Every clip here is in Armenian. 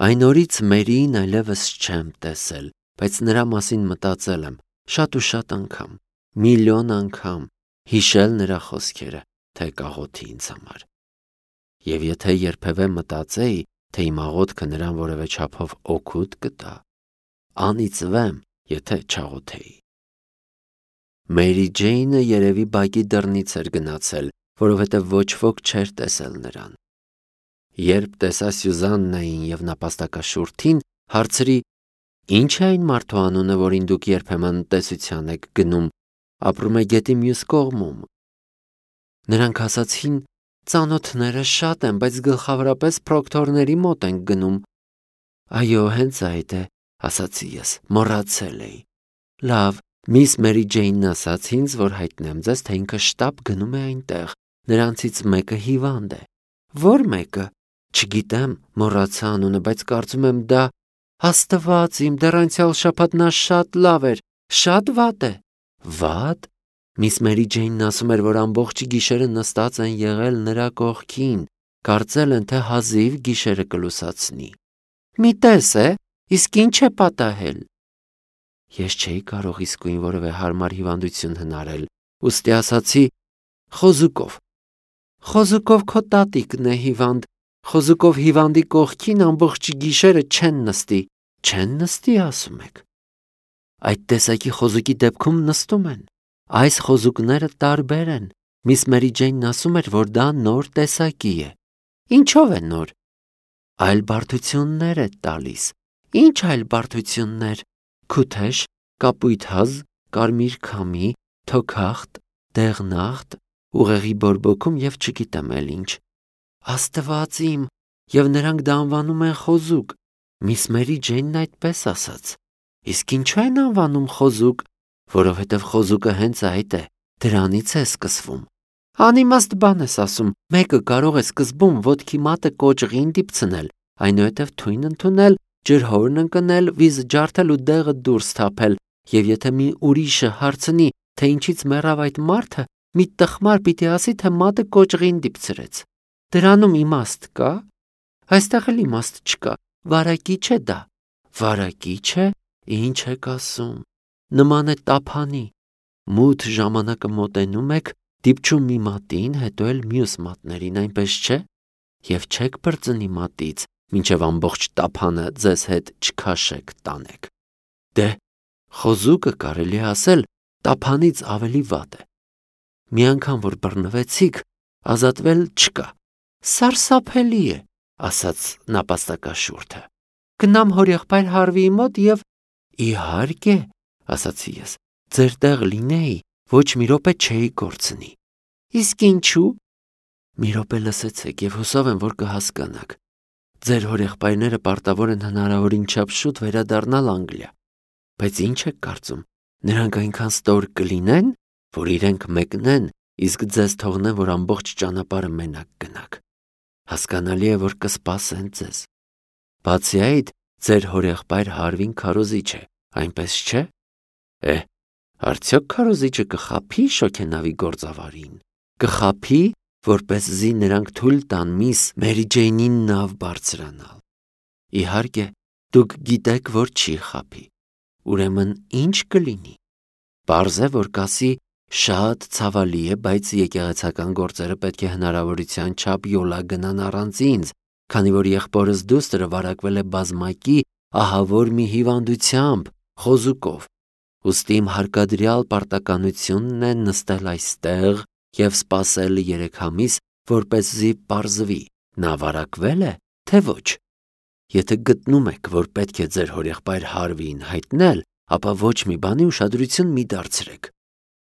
Այն օրից Մերիին այլևս չեմ տեսել, բայց նրա մասին մտածել եմ շատ ու շատ անգամ, միլիոն անգամ, հիշել նրա խոսքերը, թե կաղոթի ինձ համար։ Եվ եթե երբևէ մտածեի, թե իմ աղոթքը նրան որևէ չափով օգուտ կտա, անիծվեմ, եթե չաղոթեի։ Մերի Ջեյնը երևի բակի դռնից էր գնացել, որովհետև ոչ ոք չէր տեսել նրան։ Երբ տեսա Սյուզաննային և նապաստակաշուրթին, հարցրի. «Ի՞նչ է այն մարդու անունը, որին դուք երբեմն տեսության եք գնում, ապրում է գետի մյուս կողմում»։ Նրանք ասացին. «Ծանոթները շատ են, բայց գլխավորապես պրոկտորների մոտ ենք գնում»։ «Այո, հենց այդ է», ասացի ես, մոռացել էի։ «Լավ, միս Մերի Ջեյնն ասաց ինձ, որ հայտնեմ ձեզ, թե ինքը շտապ գնում է այնտեղ, նրանցից մեկը հիվանդ է»։ «Ո՞ր մեկը»։ «Չգիտեմ, մոռացա անունը, բայց կարծում եմ դա…» «Աստված իմ, դեռ անցյալ շաբաթ նա շատ լավ էր, շատ վատ է»։ «Վատ»։ Միս Մերի Ջեյնն ասում էր, որ ամբողջ գիշերը նստած են եղել նրա կողքին, կարծել են, թե հազիվ գիշերը կլուսացնի։ «Մի տես է, իսկ ինչ է պատահել»։ Ես չէի կարող իսկույն որևէ հարմար հիվանդություն հնարել, ուստի ասացի. «Խոզուկով»։ «Խոզուկով քո տատիկն է հիվանդ, խոզուկով հիվանդի կողքին ամբողջ գիշերը չեն նստի»։ «Չեն նստի, ասում եք»։ Այդ տեսակի խոզուկի դեպքում նստում են։ Այս խոզուկները տարբեր են։ Միս Մերի Ջեյնն ասում էր, որ դա նոր տեսակի է։ Ինչո՞վ է նոր։ Այլ բարդություններ է տալիս։ Ինչ այլ բարդություններ։ Քութեշ, կապույտ հազ, կարմիր քամի, թոքախտ, դեղնախտ, ուղեղի բորբոքում և չգիտեմ էլ ինչ։ Աստված իմ, և նրանք դա անվանում են խոզուկ։ Միս Մերի Ջեյնն այդպես ասաց։ Իսկ ինչու են անվանում խոզուկ։ Որովհետև խոզուկը հենց այդ է, դրանից է սկսվում։ Անիմաստ բան ես ասում, մեկը կարող է սկզբում ոտքի մատը կոճղին դիպցնել, այնուհետև թույն ընդունել, ջրհորն ընկնել, վիզը ջարդել ու դեղը դուրս թափել, և եթե մի ուրիշը հարցնի, թե ինչից մեռավ այդ մարդը, մի տխմար պիտի ասի, թե մատը կոճղին դիպցրեց։ Դրանում իմաստ կա։ Այստեղ էլ իմաստ չկա։ Վարակիչ է դա։ Վարակիչ է։ Ինչ եք ասում։ Նման է տափանի։ Մութ ժամանակը մոտենում եք, դիպչում մի մատին, հետո էլ մյուս մատներին, այնպես չէ։ Եվ չեք բրծնի մատից, մինչև ամբողջ տափանը ձեզ հետ չքաշեք տանեք։ Դե, խոզուկը կարելի է ասել տափանից ավելի վատ է։ Մի անգամ որ բռնվեցիք, ազատվել չկա։ Սարսափելի է, ասաց նապաստակաշուրթը։ Գնամ հորեղբայր Հարվիի մոտ և… Իհարկե, ասացի ես, ձեր տեղ լինեի, ոչ մի րոպե չէի կորցնի։ Իսկ ինչու։ Մի րոպե լսեցեք և հուսով եմ, որ կհասկանաք։ Ձեր հորեղբայրները պարտավոր են հնարավորին չափ շուտ վերադառնալ Անգլիա։ Բայց ինչ եք կարծում, նրանք այնքան ստոր կլինեն, որ իրենք մեկնեն, իսկ ձեզ թողնեն, որ ամբողջ ճանապարհը մենակ գնաք։ Հասկանալի է, որ կսպասեն ձեզ։ Բացի այդ, ձեր հորեղբայր Հարվին քարոզիչ է, այնպես չէ։ Արդյոք քարոզիչը կխաբի շոգենավի գործավարին։ Կխաբի, որպեսզի նրանք թույլ տան միս Մերի Ջեյնին նավ բարձրանալ։ Իհարկե, դուք գիտեք, որ չի խաբի։ Ուրեմն ինչ կլինի։ Պարզ է, որ կասի. շատ ցավալի է, բայց եկեղեցական գործերը պետք է հնարավորության չափ յոլա գնան առանց ինձ, քանի որ եղբորս դուստրը վարակվել է բազմակի ահավոր մի հիվանդությամբ, խոզուկով։ Ուստի իմ հարկադրյալ պարտականությունն է նստել այստեղ և սպասել 3 ամիս, որպեսզի պարզվի, նա վարակվել է, թե ոչ։ Եթե գտնում եք, որ պետք է ձեր հորեղբայր Հարվիին հայտնել, ապա ոչ մի բանի ուշադրություն մի դարձրեք։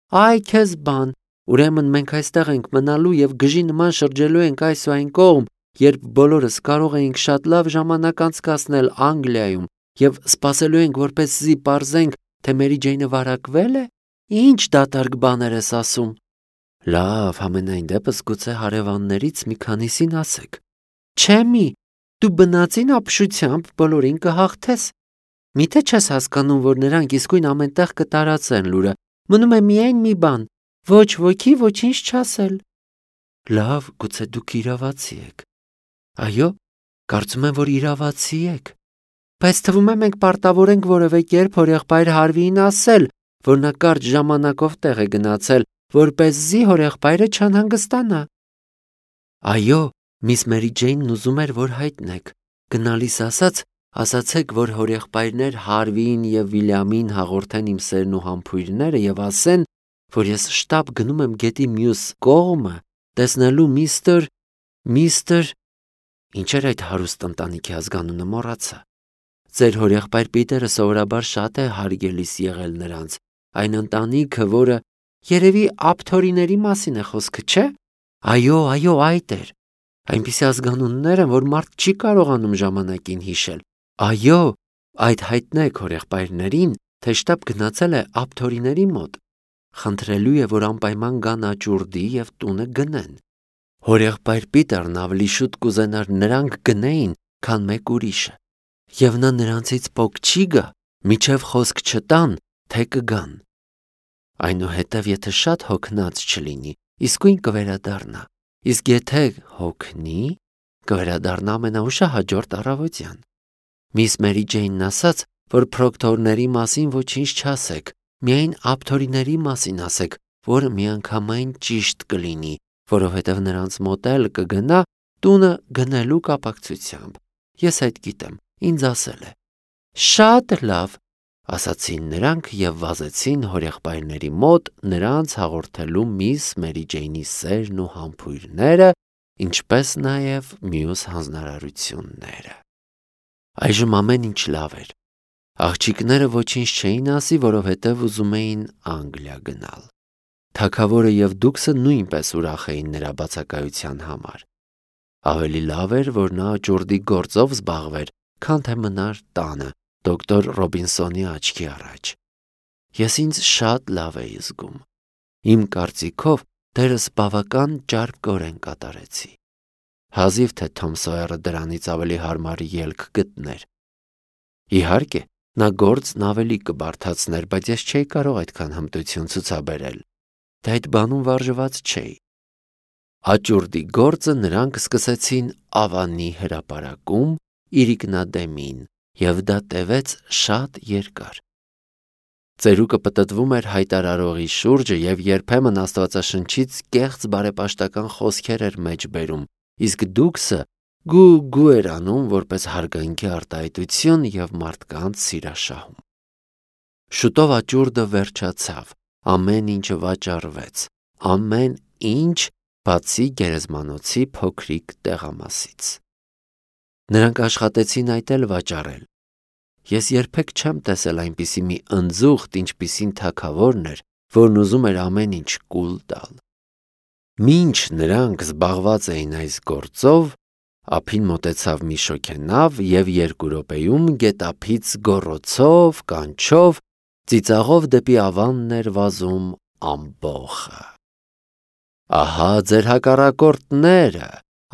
Այ քեզ բան, ուրեմն մենք այստեղ ենք մնալու և գժի նման շրջելու ենք այս ու այն կողմ, երբ բոլորս կարող էինք շատ լավ ժամանակ անցկасնել Անգլիայում և սպասելու ենք, որպեսզի պարզենք, թե Մերի Ջեյնը վարակվել է։ Ինչ դատարկ բաներ ես ասում։ Լավ, համենայն դեպս գուցե հարևաններից մի քանիսին ասեք։ Չէ մի, դու բնածին ապշությամբ բոլորին կհաղթես։ Միթե չես հասկանում, որ նրանք իսկույն ամենտեղ կտարածեն լուրը։ Մնում է միայն մի բան, ոչ ոքի ոչինչ չասել։ Լավ, գուցե դուք իրավացի եք։ Այո, Կարծում եմ, որ իրավացի եք։ Բայց թվում է մենք պարտավոր ենք որևէ կերպ հորեղբայր Հարվիին ասել, որ նա կարճ ժամանակով տեղ է գնացել, որպեսզի հորեղբայրը չանհանգստանա։ Այո, միս Մերի Ջեյնն ուզում էր, որ հայտնեք։ Գնալիս ասացեք, որ հորեղբայրներ Հարվիին և Վիլյամին հաղորդեն իմ սերն ու համբույրները և ասեն, որ ես շտապ գնում եմ գետի մյուս կողմը, տեսնելու միստր… Ինչ էր այդ հարուստ ընտանիքի ազգանունը մոռացա։ Ձեր հորեղբայր Պիտերը սովորաբար շատ է հարգելիս եղել նրանց, այն ընտանիքը, որը… Երևի ափթորիների մասին է խոսքը, չէ՞։ Այո, այդ էր։ Այնպիսի ազգանուններ են, որ մարդ չի կարողանում ժամանակին հիշել։ Այո, այդ հայտնեք հորեղբայրներին, թե շտապ գնացել է ափթորիների մոտ։ Խնդրելու է, որ անպայման գան աճուրդի և տունը գնեն։ Հորեղբայր Պիտերն ավելի շուտ կուզենար նրանք գնեին, քան մեկ ուրիշը։ Եվ նա նրանցից պոկ չի գա, մինչև խոսք չտան, թե կգան։ Այնուհետև եթե շատ հոգնած չլինի, իսկույն կվերադառնա, իսկ եթե հոգնի, կվերադառնա ամենաուշահաջորդ առավոտյան։ Միս Մերի Ջեյնն ասաց, որ պրոկտորների մասին ոչինչ չասեք, միայն ափթորիների մասին ասեք, որը միանգամայն ճիշտ կլինի, որովհետև նրանց մոտ էլ կգնա տունը գնելու կապակցությամբ։ Ես այդ գիտեմ, ինձ ասել է։ Շատ լավ, ասացին նրանք և վազեցին հորեղբայրների մոտ նրանց հաղորդելու միս Մերի Ջեյնի սերն ու համբույրները, ինչպես նաև մյուս հանձնարարությունները։ Այժմ ամեն ինչ լավ էր։ Աղջիկները ոչինչ չէին ասի, որովհետև ուզում էին Անգլիա գնալ։ Թագավորը և Դուքսը նույնպես ուրախ էին նրա բացակայության համար։ Ավելի լավ էր, որ նա աճուրդի գործով զբաղվեր, քան թե մնար տանը դոկտոր Ռոբինսոնի աչքի առաջ։ Ես ինձ շատ լավ էի զգում։ Իմ կարծիքով դերս բավական ճարպկորեն կատարեցի։ Հազիվ թե Թոմ Սոյերը դրանից ավելի հարմար ելք գտներ։ Իհարկե, նա գործն ավելի կբարդացներ, բայց ես չէի կարող այդքան հմտություն ցուցաբերել։ Դե այդ բանում վարժված չէի։ Աճուրդի գործը նրանք սկսեցին Ավանի հրապարակում իրիկնադեմին, և դա տևեց շատ երկար։ Ծերուկը պտտվում էր հայտարարողի շուրջը և երբեմն Աստվածաշնչից կեղծ բարեպաշտական խոսքեր էր մեջ բերում, իսկ Դուքսը գու էր անում որպես հարգանքի արտահայտություն և մարդկանց սիրաշահում։ Շուտով աճուրդը վերջացավ, ամեն ինչը վաճառվեց, ամեն ինչ, բացի գերեզմանոցի փոքրիկ տեղամասից։ Նրանք աշխատեցին այդ էլ վաճառել։ Ես երբեք չեմ տեսել այնպիսի մի ընձուղտ, ինչպիսին թագավորն էր, որն ուզում էր ամեն ինչ կուլ տալ։ Մինչ նրանք զբաղված էին այս գործով, ափին մոտեցավ մի շոգենավ և 2 րոպեում գետափից գոռոցով, կանչով, ծիծաղով դեպի Ավանն էր վազում ամբոխը։ Ահա ձեր հակառակորդները,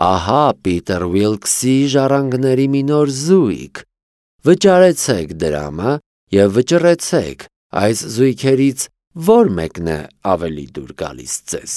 ահա Պիտեր Ուիլքսի ժառանգների մի նոր զույգ։ Վճարեցեք դրամը և վճռեցեք, այս զույգերից որ մեկն է ավելի դուր գալիս ձեզ։